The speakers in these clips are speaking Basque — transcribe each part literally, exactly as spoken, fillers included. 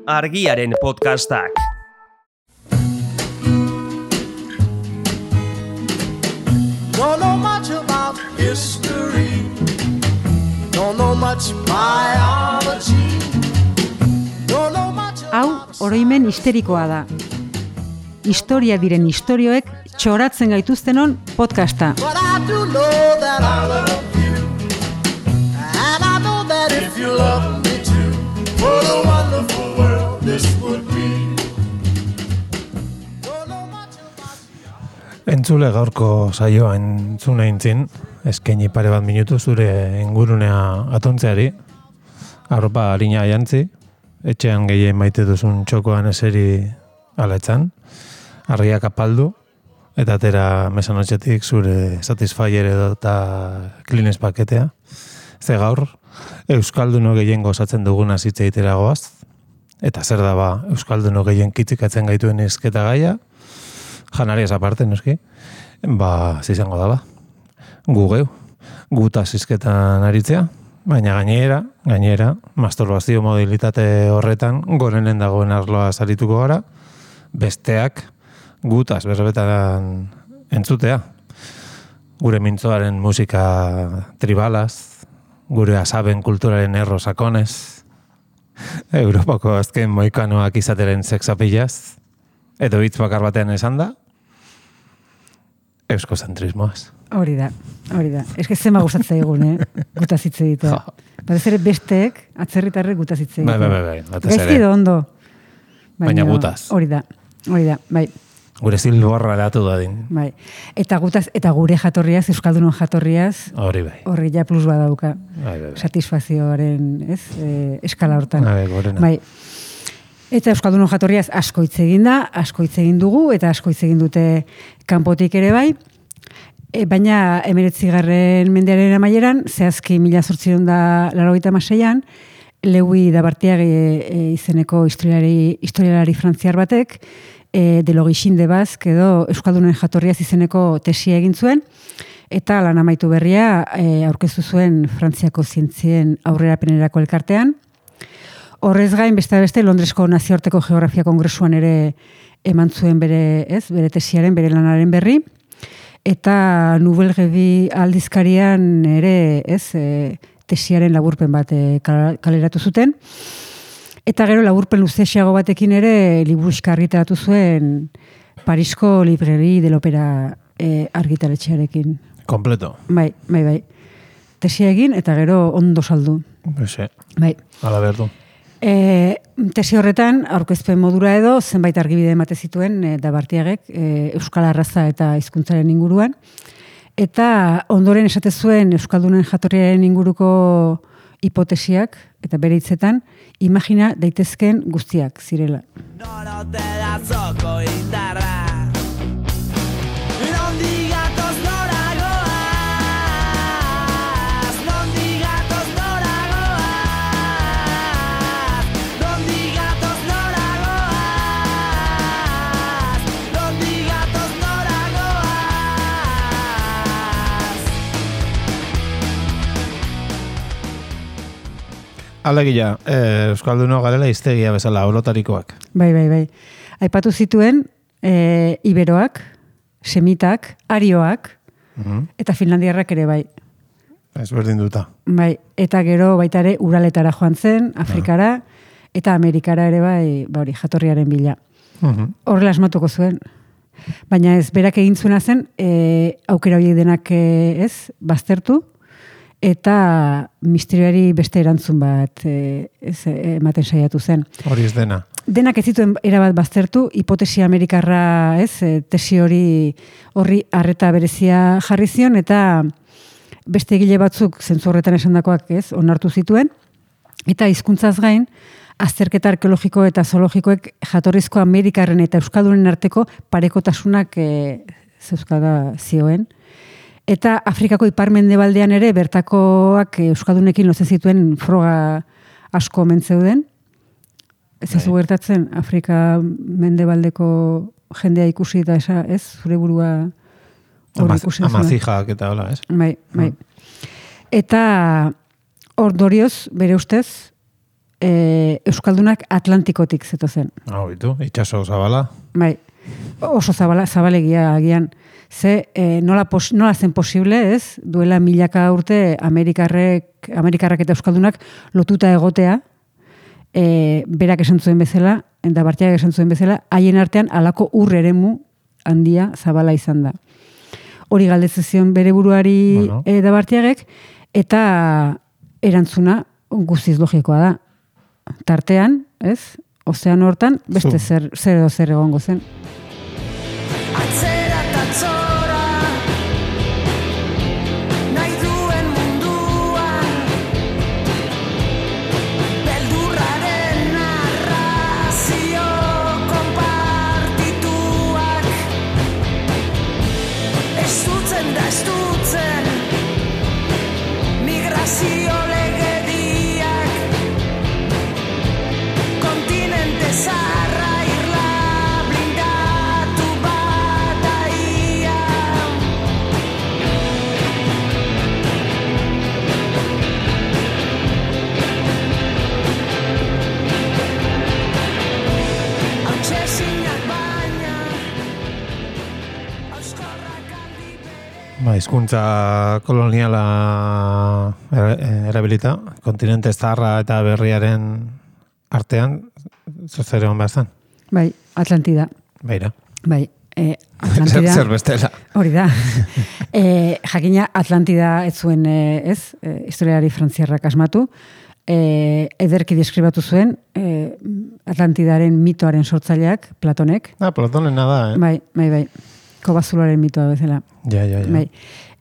Argiaren podcastak. Don't know much about history. Don't know much biology. Don't know much Hau, oroimen histerikoa da. Historia diren istorioek txoratzen gaituztenon podcasta. But I do know that I love you. And I know that if you love me too, what a wonderful world this would be. Don't know much about Entzule gaurko saioa entzuna intzin, eskaini pare bat minutu zure ingurunea atontzeari, arropa harina jantzi, etxean gehien maite duzun txokoan eseri aletzan, argiak apaldu, eta atera mesanotxetik zure Satisfyer edo eta Kleenex paketea. Ze gaur, Euskalduno gehien gozatzen duguna zitze itera goaz, eta zer da ba, Euskalduno gehien kitzikatzen gaituen izketa gaia, janariaz aparte, noski, ba, zizango da ba. Gu geu, guta zizketan aritzea, baina gainera, gainera, masturbazio modalitate horretan, gorenen dagoen arloa zarituko gara, besteak gutaz berbetan entzutea. Gure mintzoaren musika tribalaz, gure asaben kulturaren erro sakonez, Europako azken moikanoak izateren sexapilaz, edo hitz bakar batean esan da, euskozentrismoaz. Hori da, hori da. Ez que zema gustatzen egun, eh? Gutaz hitz egitea. Batez ere besteek, atzerritarrek gutaz hitz egitea. Bai, bai, bai, bai. batez ere. Gaizki do ondo. Baina gutaz. Hori da, hori da, bai. Gure zilborra datu dadin. Bai. Eta gutaz, eta gure jatorriaz, Euskaldunon jatorriaz, Hori bai. horri ja plus badauka. Bai, bai, bai. Satisfazioaren, ez, e, eskala hortan. Bai, gorena. Bai. Eta Euskaldunon jatorriaz asko hitz egin da, asko hitz egin dugu, eta asko hitz egin dute kanpotik ere bai. E, baina emeretzigarren mendearen amaieran, zehazki mila zortziehun da laurogeita hamaseian, Lewi Dabartiagi e, izeneko historialari, historialari frantziar batek, e, de Logixin de Basque edo Euskaldunen jatorriaz izeneko tesia egin zuen, eta lan amaitu berria e, aurkeztu zuen Frantziako zientzien aurrerapenerako elkartean. Horrez gain, beste beste, Londresko nazioarteko geografia kongresuan ere eman zuen bere, ez, bere tesiaren, bere lanaren berri, eta Nouvelle Revue aldizkarian ere, ez, e, tesiaren laburpen bat e, kaleratu zuten. Eta gero laburpen luzexiago batekin ere liburuxka argitaratu zuen Parisko Librairie de l'Opera e, argitaletxearekin. Kompleto. Bai, bai, bai. Tesia egin eta gero ondo saldu. Bese, Bai. ala berdu. E, tesi horretan, aurkezpen modura edo, zenbait argibide emate zituen e, Dabartiagek e, Euskal Arraza eta hizkuntzaren inguruan. Eta ondoren esate zuen Euskaldunen jatorriaren inguruko hipotesiak, eta bere hitzetan, imagina daitezken guztiak zirela. Norote da zoko indarra. Nondik gatoz nora goaz. Nondik gatoz nora goaz. Nondik gatoz nora goaz. Nondik gatoz nora goaz. Alegia, eh, Euskalduno garela hiztegia bezala, orotarikoak. Bai, bai, bai. Aipatu zituen e, iberoak, semitak, arioak, Mhm. eta finlandiarrak ere bai. Ez berdin duta. Bai, eta gero baita ere Uraletara joan zen, Afrikara, eta Amerikara ere bai, ba hori, jatorriaren bila. Mhm. Horrela asmatuko zuen. Baina ez, berak egin zuena zen, e, aukera horiek denak e, ez, baztertu, eta misterioari beste erantzun bat e, ez, e, ematen saiatu zen. Hori ez dena. Denak ez zituen erabat baztertu, hipotesi amerikarra, ez, e, tesi hori horri arreta berezia jarri zion, eta beste egile batzuk zentzu horretan esandakoak, ez, onartu zituen, eta hizkuntzaz gain, azterketa arkeologiko eta zoologikoek jatorrizko Amerikarren eta Euskaldunen arteko parekotasunak e, zeuzkaga zioen. Eta Afrikako ipar-mendebaldean ere bertakoak Euskaldunekin lotzen zituen froga asko omen zeuden. Ez ez gertatzen Afrika mendebaldeko jendea ikusi eta esa, ez, zure burua hori ikusi. Amazijak eta hola, ez? Bai, bai. Eta ondorioz, bere ustez, e, Euskaldunak Atlantikotik zetozen. Hau, bitu, itxaso zabala. Bai, oso zabala, zabalegia agian. Ze, e, nola, pos, nola zen posible, ez? Duela milaka urte Amerikarrek, Amerikarrak eta Euskaldunak lotuta egotea, e, berak esan zuen bezala, eta Bartiak esan zuen bezala, haien artean alako ur eremu handia zabala izan da. Hori galdetzen zion bere buruari bueno. e, da Bartiagek, eta erantzuna guztiz logikoa da. Tartean, ez? Ozeano hortan, beste zer, zer edo zer egongo zen. Atzera eta tzora, nahi duen munduan, beldurraren narrazio konpartituak, estutzen da estutzen, migrazio legediak, kontinente zaharra irla blindatu bataia. Hautsezinak baina, auskorrak aldi bere. Ba, hizkuntza koloniala era- erabilita, kontinente zaharra eta berriaren artean, zer egon behar zen? Bai, Atlantida. Beira. Bai, e, Zer, Atlantida. zer bestela. Hori da. E, jakina Atlantida ez zuen, e, ez, e, historiari frantziarrak asmatu, e, ederki deskribatu zuen e, Atlantidaren mitoaren sortzaileak, Platonek. Ah, Platonena da, eh? Bai, bai, bai. Kobazuloaren mitoa bezala. Ja, ja, ja. Bai.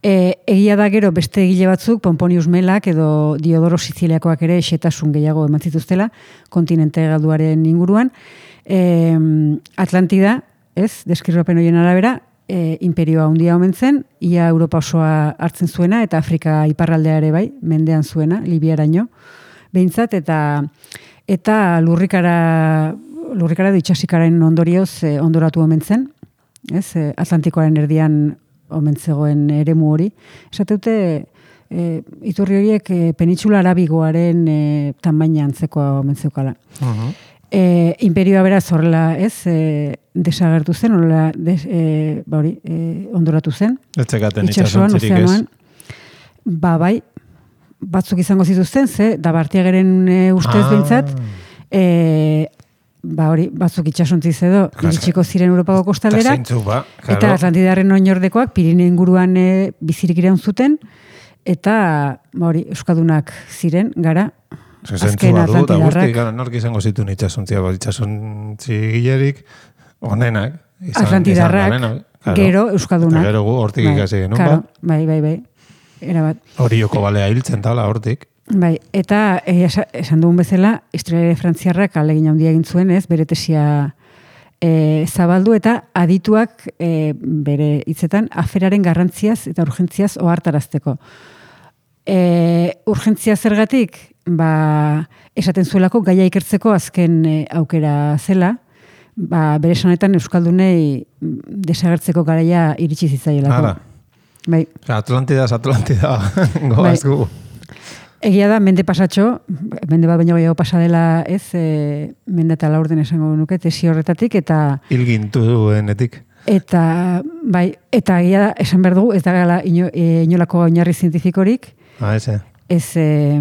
E, egia da gero beste egile batzuk, Pomponius Melak edo Diodoro Siziliakoak ere xetasun gehiago eman zituztela, kontinente galduaren inguruan. E, Atlantida, ez, deskribapen horien arabera, e, imperioa handia omen zen, ia Europa osoa hartzen zuena, eta Afrika iparraldea ere bai, mendean zuena, Libiaraino, behintzat, eta eta lurrikara, lurrikara edo itxasikaren ondorioz e, ondoratu omen zen, ez, e, Atlantikoaren erdian omen zegoen eremu hori. Esateute, e, iturri horiek e, penitsula arabigoaren e, tamaina antzekoa omen zeukala. Uh-huh. E, imperioa beraz horrela, ez, e, desagertu zen, horrela des, e, ba hori, e, ondoratu zen. Etzekaten Itxasoan, itxasontzirik ez. ozeanoan. Ba, bai, batzuk izango zituzten, ze, da Bartiageren e, ustez Ah. behintzat, e, ba hori, batzuk itxasontziz edo, Jas- iritsiko ziren Europako kostaldera, Eta zeintzu, ba, eta claro. Atlantidarren oinordekoak Pirineo inguruan e, bizirik iraun zuten, eta ba hori, euskadunak ziren, gara, Ze azken zentzu badu, eta guzti, Atlantidarrak. gara, nork izango zituen itxasontzia, ba, itxasontzi gilerik, onenak. izan- Atlantidarrak, izan garenak, claro. gero euskadunak. Eta gero gu hortik Bai, ikasi genuen, claro, ba. bai, bai, bai, erabat. Hori joko balea hiltzen tala hortik. Bai, eta eh, esa- esan dugun bezala, historiare frantziarrak alegin handia egin zuen, ez, bere tesia e, zabaldu eta adituak e, bere hitzetan aferaren garrantziaz eta urgentziaz ohartarazteko. E, urgentzia zergatik, ba, esaten zuelako gaia ikertzeko azken e, aukera zela, ba, bere esanetan euskaldunei mm, desagertzeko garaia iritsi zitzaielako. Hala. Bai. Atlantidaz, Atlantida, goaz gu. Egia da, mende pasatxo, mende bat baino gehiago pasa dela, ez, e, mende eta laurden esango nuke, tesi horretatik, eta Hilgintu duenetik. eta bai, eta egia da, esan behar dugu, ez da gala ino, e, inolako oinarri zientifikorik, Ah, eze. ez, e,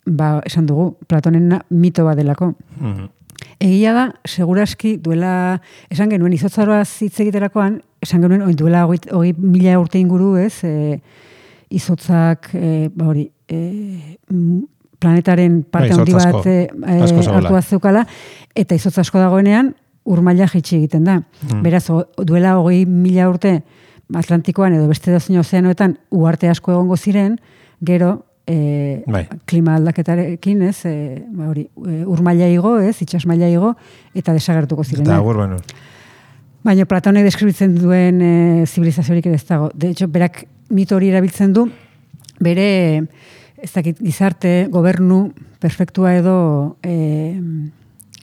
ba, esan dugu, Platonen mito bat delako. Mhm. Egia da, seguraski duela, esan genuen izotzaroaz hitz egiterakoan, esan genuen oin duela hogei, hogei mila urte inguru, ez, e, izotzak, e, ba hori, e, mm, planetaren parte Bai, handi izotz bat asko. e, Asko zegoela. hartu zeukala, eta izotz asko dagoenean, urmaila jaitsi egiten da. Mm. Beraz, o, duela hogei mila urte Atlantikoan edo beste dozein ozeanoetan uarte asko egongo ziren, gero e, Bai. klima aldaketarekin, ez, e, ba hori, e, urmaila igo, ez, itsas maila igo, eta desagertuko ziren. Eta agur benu. Baina Platonek deskribitzen duen e, zibilizaziorik ere ez dago. De hecho, berak mito hori erabiltzen du, bere, ez dakit, gizarte, gobernu, perfektua edo, e,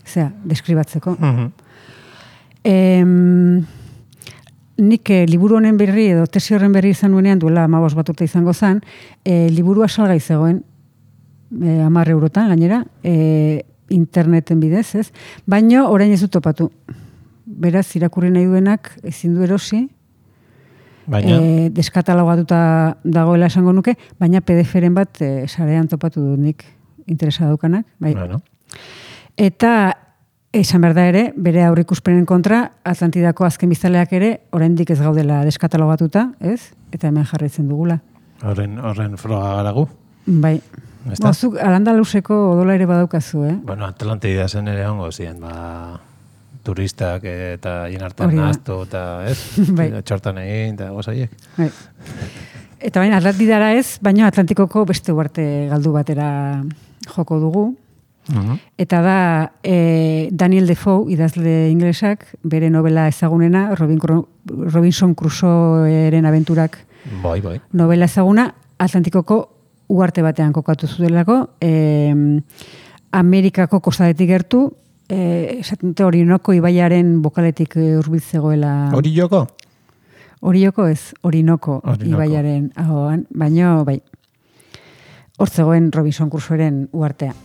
zera, deskribatzeko. Mhm. Em, nik eh, liburu honen berri edo tesi horren berri izan nuenean duela hamabost bat urte izango zen, eh, liburua salgai zegoen e, hamar eurotan gainera, e, interneten bidez, ez? Baina orain ez dut topatu. Beraz, irakurri nahi duenak ezin du erosi, Baina, e, deskatalogatuta dagoela esango nuke, baina P D F-ren bat e, sarean topatu dut nik interesa daukanak. Bai. bueno, Eta esan behar da ere, bere aurrikuspenen kontra, Atlantidako azken biztaleak ere, oraindik ez gaudela deskatalogatuta, ez? Eta hemen jarraitzen dugula. horren, horren froga garagu. Bai. Ezta? Bozuk, Al-Andaluseko odola ere badaukazu, eh? Bueno, Atlantida zen ere hongo ziren, ba, turistak eta hien artean Hori da. nahaztu eta, ez? Bai. Txortan egin eta gozaiek. Bai. Eta baina Atlantidara ez, baina Atlantikoko beste uarte galdu batera joko dugu. Mhm. Eta da e, Daniel Defoe, idazle inglesak, bere novela ezagunena, Robin, Robinson Crusoeren abenturak Bai, bai. novela ezaguna, Atlantikoko uarte batean kokatu zudelako, e, Amerikako kostadetik gertu, e, esaten dute Orinoko ibaiaren bokaletik hurbil zegoela. Hori joko? Orioko ez, Orinoko Orinoco. ibaiaren ahoan, baino bai. Hor zegoen Robinson Crusoeren uartea.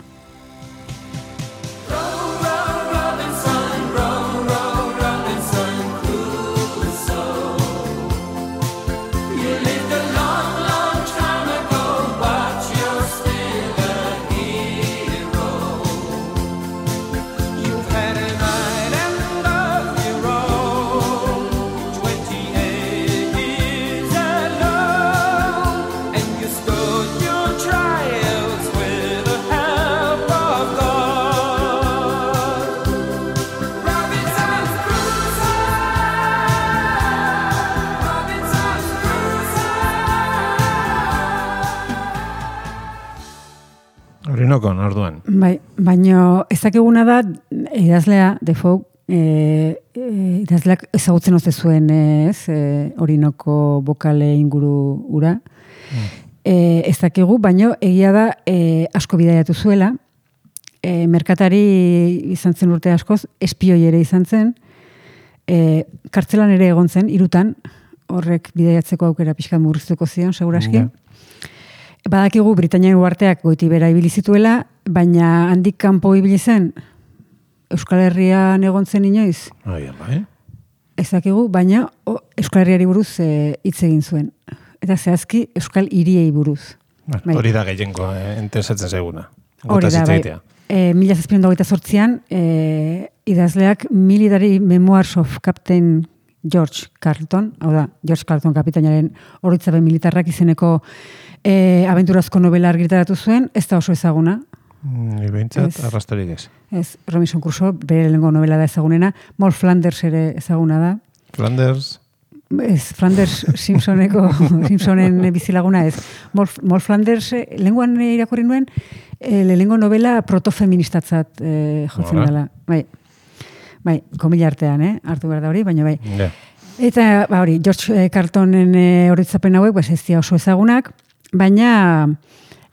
Orinokon, orduan. Bai, baino ezakiguna da idazlea Defoe eh e, idazleak ezagutzen ote zuen ez, e, Orinoko bokale inguru ura. Mm. Eh ez dakigu, baino egia da e, asko bidaiatu zuela. E, merkatari izan zen urte askoz, espioi ere izan zen. E, kartzelan ere egon zen hirutan, horrek bidaiatzeko aukera pixka murriztuko zion seguraski. Ja. Badakigu Britanian uarteak goiti bera ibili zituela, baina handik kanpo ibili zen Euskal Herrian egon zen inoiz. Bai, bai. Ez dakigu, baina o, Euskal Herriari buruz e, hitz egin zuen. Eta zehazki Euskal hiriei buruz. Bai. Hori da gehienko, eh, interesatzen zaiguna. Hori da, bai. E, mila zazpiehun eta hogeita zortzian, e, idazleak Military Memoirs of Captain George Carleton, hau da, George Carleton kapitainaren oroitzapen militarrak izeneko e, abenturazko novela argitaratu zuen, ez da oso ezaguna. Ni behintzat, Ez. arrastorik ez. Ez, Robinson Crusoe, bere lehenengo novela da ezagunena, Moll Flanders ere ezaguna da. Flanders, Ez, Flanders Simpsoneko, Simpsonen bizilaguna ez. Moll, Moll Flanders, eh, lenguan irakurri nuen, eh, lehenengo novela protofeministatzat eh, jotzen Nola? dela. Bai, bai, komila artean, eh? Hartu behar da hori, baina bai. ja. Eta, ba hori, George Carltonen e, horitzapen hauek, pues ez dira oso ezagunak, baina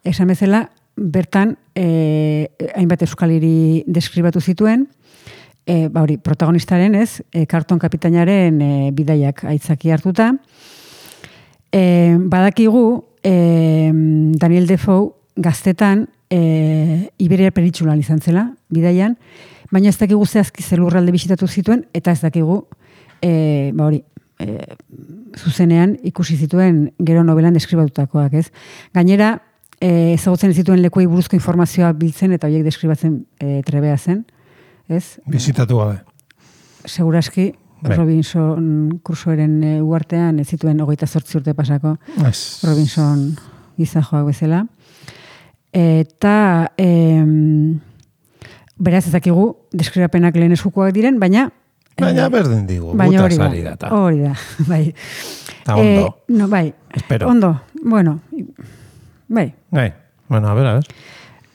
esan bezala, bertan e, hainbat euskal hiri deskribatu zituen, e, ba hori, protagonistaren ez, e, Carlton kapitainaren e, bidaiak aitzaki hartuta. E, badakigu, e, Daniel Defoe gaztetan e, Iberia penintsulan izan zela, bidaian, baina ez dakigu zehazki zelurralde bisitatu zituen, eta ez dakigu E, ba hori, e, zuzenean ikusi zituen gero novelan deskribatutakoak, ez? Gainera, e, ezagutzen zituen lekuei buruzko informazioa biltzen eta horiek deskribatzen e, trebea zen, ez? Bizitatu gabe. Seguraski, Bai. Robinson Crusoeren e, uartean ez zituen hogeita zortzi urte pasako Ez. Robinson gizajoak bezala. Eta e, beraz ezakigu deskribapenak lehen eskukoak diren, baina Baina berdin digu, baina hori gutaz da, ari da. ta. hori da, bai. Ta ondo. Eh, no, bai, Espero. ondo, bueno, bai. Gai, bueno, a ver, a ver.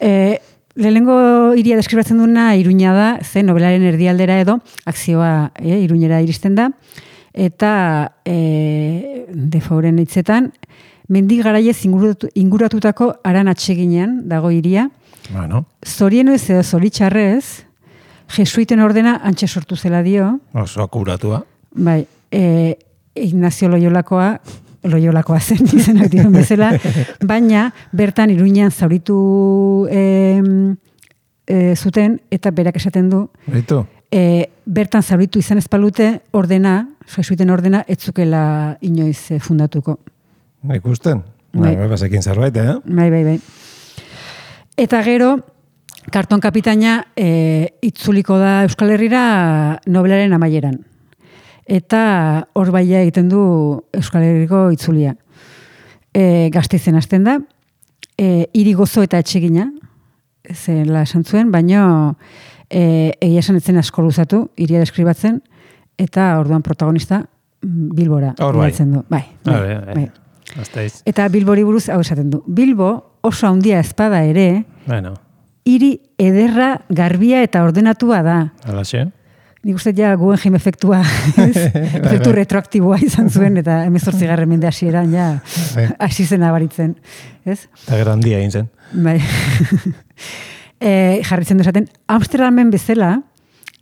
Eh, lehenengo hiria deskribatzen duna Iruña da, ze novelaren erdialdera edo, akzioa eh, Iruñera iristen da, eta eh, Defoeren hitzetan, mendik garaiez inguratu, inguratutako aran atseginean dago hiria, Bueno, zorienu ez edo zoritxarrez, jesuiten ordena antxe sortu zela dio, oso akuratua. bai, e, Ignacio Loyolakoa Loiolakoa zen izenak diren bezala, baina bertan Iruñean zauritu e, e, zuten, eta berak esaten du, Baitu? e, bertan zauritu izan ezpalute ordena, jesuiten ordena, etzukela inoiz e, fundatuko. Ikusten? Bai. Bai, basekin zerbait, eh? Bai, bai, bai. Eta gero, karton kapitaina e, itzuliko da Euskal Herrira nobelaren amaieran. Eta hor baia egiten du Euskal Herriko itzulia. E, Gasteizen hasten da, e, hiri gozo eta etxegina, zela esan zuen, baina e, egia esan etzen asko luzatu, hiria deskribatzen, eta orduan protagonista Bilbora Hor bai. bidaltzen du. Bai, bai, Bai, bai. bai. Gasteiz. Eta Bilbori buruz hau esaten du. Bilbo oso handia ezpada ere, Bueno, hiri ederra, garbia eta ordenatua da. alaxe. Nik uste ja Guggenheim efektua, ez? efektu retroaktiboa izan zuen, eta hemezortzigarren mende hasieran ja Bai. hasi zen abaritzen. Ez? Eta gero handia egin zen. Bai. e, jarritzen du esaten, Amsterdamen bezala,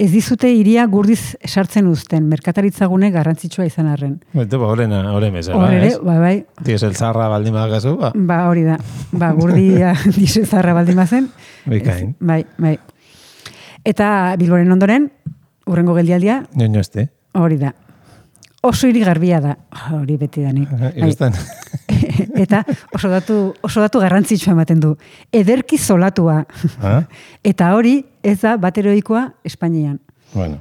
ez dizute hiria gurdiz sartzen uzten, merkataritzagune garrantzitsua izan arren. Baitu, ba, horrena, horren bezala, Hor ere, ez? bai, bai, Diesel zarra baldin badakazu, ba, ba, hori da. Ba, gurdia dizezarra baldin bazen. bikain. Ez, Bai, bai. Eta Bilboren ondoren, urrengo geldialdia, Nioño este. hori da. Oso hiri garbia da. Hori beti da nik. Bai. Ikusten. Eta oso datu, oso datu garrantzitsua ematen du. Ederki zolatua. Ah? Eta hori ez da bateroikoa Espainian. Bueno,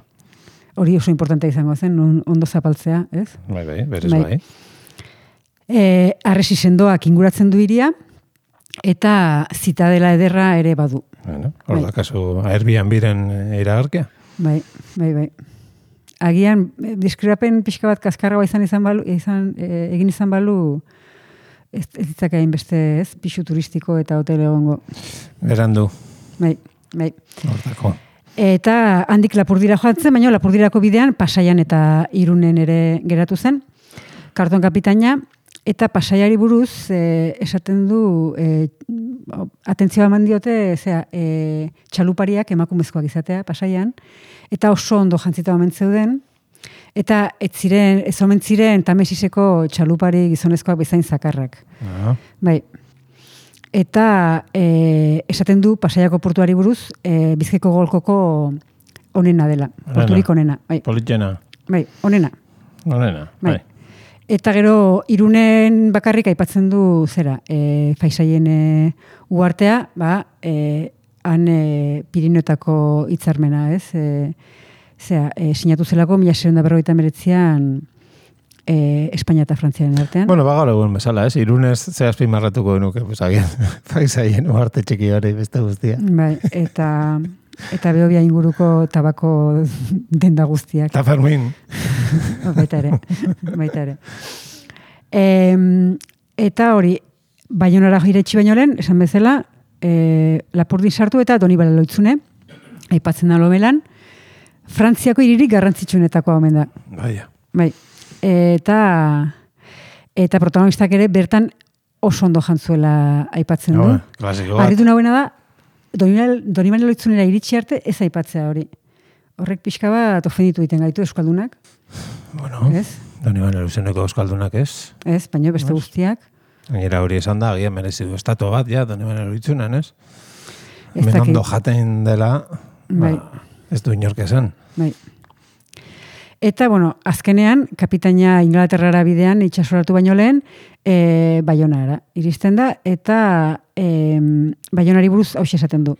Hori oso importante izango zen, on- ondo zapaltzea, ez? bai, bai, berez Bai. bai. E, arresi sendoak inguratzen du hiria, eta zitadela ederra ere badu. Bueno, hor Bai. da kasu Airbnb-ren iragarkia. Bai, bai, bai. Agian, eh, deskribapen pixka bat kaskarragoa izan izan balu, izan, eh, egin izan balu, ez, ez ditzak egin beste, ez, pixu turistiko eta hotel egongo. Berandu, Bai, bai. hortako. Eta handik Lapurdira joan zen, baina Lapurdirako bidean Pasaian eta Irunen ere geratu zen. Karton kapitaina, eta Pasaiari buruz eh, esaten du, eh, atentzioa eman diote, zera, eh, txalupariak emakumezkoak izatea Pasaian, eta oso ondo jantzita omen zeuden, eta ez ziren, ez omen ziren Tamesiseko txalupari gizonezkoak bezain zakarrak. Ah, Bai. Eta e, esaten du Pasaiako portuari buruz e, Bizkaiko golkoko onena dela. Porturik onena. Bai, politxena, bai, onena. onena, Bai. bai. Eta gero Irunen bakarrik aipatzen du zera, e, Faisaien e, uartea, ba, e, han e, Pirinotako hitzarmena, ez? E, zera, e, sinatu zelako mila seiehun eta berrogeita hemeretzian e, Espainia eta Frantziaren artean. Bueno, ba gaur egun bezala, ez? Irunez ze azpimarratuko genuke, pues agian, faisaien uarte txiki hori beste guztia. Bai, eta eta Behobia inguruko tabako denda guztiak. Eta Fermin. baita ere, baita ere. E, eta hori, Baionara iretsi baino lehen, esan bezala, e, Lapurdin sartu eta Donibane Loitzune, aipatzen da lomelan, Frantziako hiririk garrantzitsuenetakoa omen da. Baia. Bai. Eta eta protagonistak ere bertan oso ondo jantzuela aipatzen du. No, klasiko bat. Harritu nagoena da, Donibane Loitzunera iritsi arte ez aipatzea hori. Horrek pixka bat ofenditu egiten gaitu euskaldunak, Bueno, ez? Donibane Luzeneko euskaldunak ez. Ez, baina beste guztiak. Gainera hori esan da, agian merezi du estatu bat, ja, Donibane Luitzunan, ez? Ez Hemen dakit. ondo jaten dela, Bai. ba, ez du inork esan. Bai. Eta, bueno, azkenean, kapitaina Inglaterrara bidean itxasoratu baino lehen, e, Baionara iristen da, eta e, Baionari buruz hau esaten du.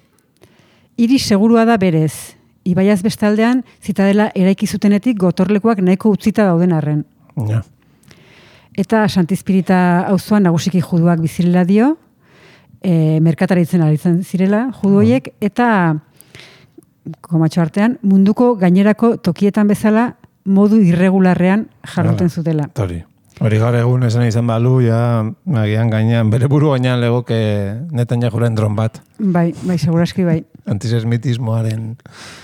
Hiri segurua da berez, ibaiaz bestaldean, zitadela eraiki zutenetik gotorlekuak nahiko utzita dauden arren. Ja. Eta Santizpirita auzoan nagusiki juduak bizirela dio, e, merkataritzen aritzen zirela judu horiek, eta komatxo artean, munduko gainerako tokietan bezala modu irregularrean jarduten Hala. zutela. Hori. Hori gaur egun esan izan balu, ja, agian gainean, bere buru gainean legoke Netanyahuren dron bat, Bai, bai, seguraski bai. antisemitismoaren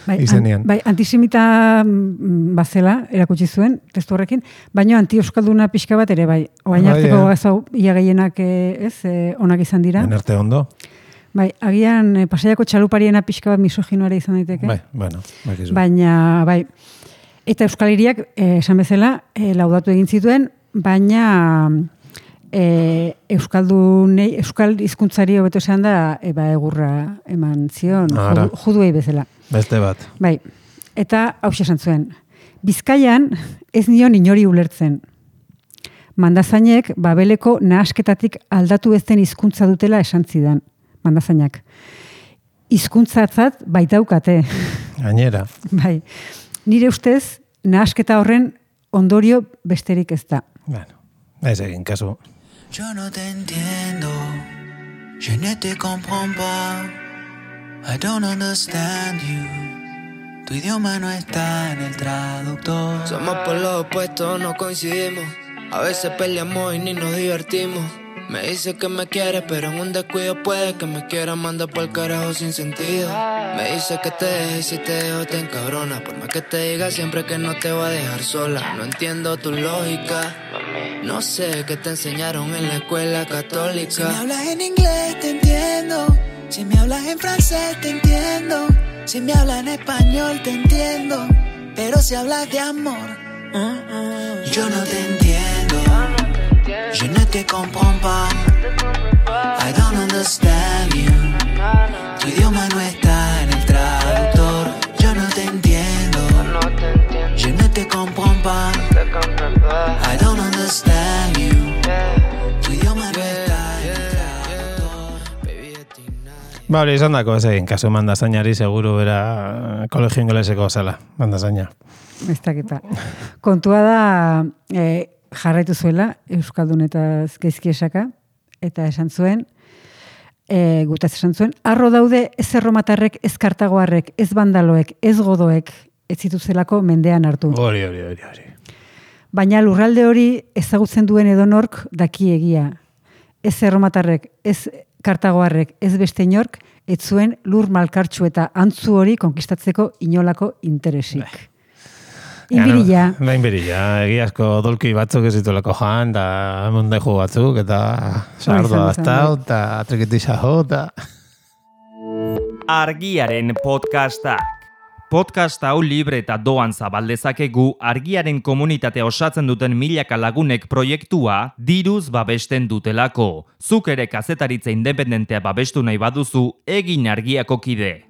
Bai, izenean. an, bai, antisemita mm, bazela, erakutsi zuen, testu horrekin, baina anti-euskalduna pixka bat ere bai. Oain Bai, arteko eh. gazau, ia gehienak eh, ez, eh, onak izan dira. Enerte ondo. Bai, agian eh, Pasaiako txalupariena pixka bat misoginoare izan daiteke. Bai, bueno, bakizu. Baina, bai, eta Euskal Hiriak, eh, esan bezala, eh, laudatu egin zituen, baina e, Euskaldunei, Euskal hizkuntzari hobeto esan da, eba egurra eman zion, Ara. judu, juduei bezala. Beste bat. Bai, eta hau esan zuen. Bizkaian ez nion inori ulertzen. Mandazainek Babeleko nahasketatik aldatu ez den hizkuntza dutela esan zidan. Mandazainak. Hizkuntzatzat baitaukate. Gainera. Bai. Nire ustez, nahasketa horren ondorio besterik ez da. Bueno, ez egin kasu. Yo no te entiendo, je ne te comprends pas, I don't understand you, tu idioma no está en el traductor. Somos por los opuestos, no coincidimos, a veces peleamos y ni nos divertimos. Me dice que me quiere, pero en un descuido puede que me quiera mandar por el carajo sin sentido. Me dice que te deje y si te dejo te encabrona. Por más que te diga siempre que no te va a dejar sola. No entiendo tu lógica, no sé qué te enseñaron en la escuela católica. Si me hablas en inglés te entiendo, si me hablas en francés te entiendo, si me hablas en español te entiendo, pero si hablas de amor, uh, uh, yo no te entiendo. Je ne te comprends pas, I don't understand you, tu idioma no está en el traductor. Yo no te entiendo, je ne te comprends pas, I don't understand you, tu idioma no está en el traductor. Ba, hori izan dako ez egin kasu mandazainari, seguru bera kolegio ingeleseko zela, mandazaina. Ez dakipa. Kontua da, e, jarraitu zuela, Euskaldunetaz gaizki esaka, eta esan zuen, e, gutaz esan zuen, arro daude ez erromatarrek, ez kartagoarrek, ez bandaloek, ez godoek, ez zituzelako mendean hartu. Hori, hori, hori, hori. Baina lurralde hori ezagutzen duen edonork daki egia. Ez erromatarrek, ez kartagoarrek, ez beste inork, ez zuen lur malkartxu eta antzu hori konkistatzeko inolako interesik. Inbirilla. Da, inbirilla. Egiazko dolki batzuk ez ditulako jan, da mondeju batzuk, eta sardoa aztau, eta trikitisa jo, eta... Argiaren podcastak. Podcast hau libre eta doan zabaldezakegu argiaren komunitatea osatzen duten milaka lagunek proiektua diruz babesten dutelako. Zuk ere kazetaritza independentea babestu nahi baduzu, egin Argiako kide.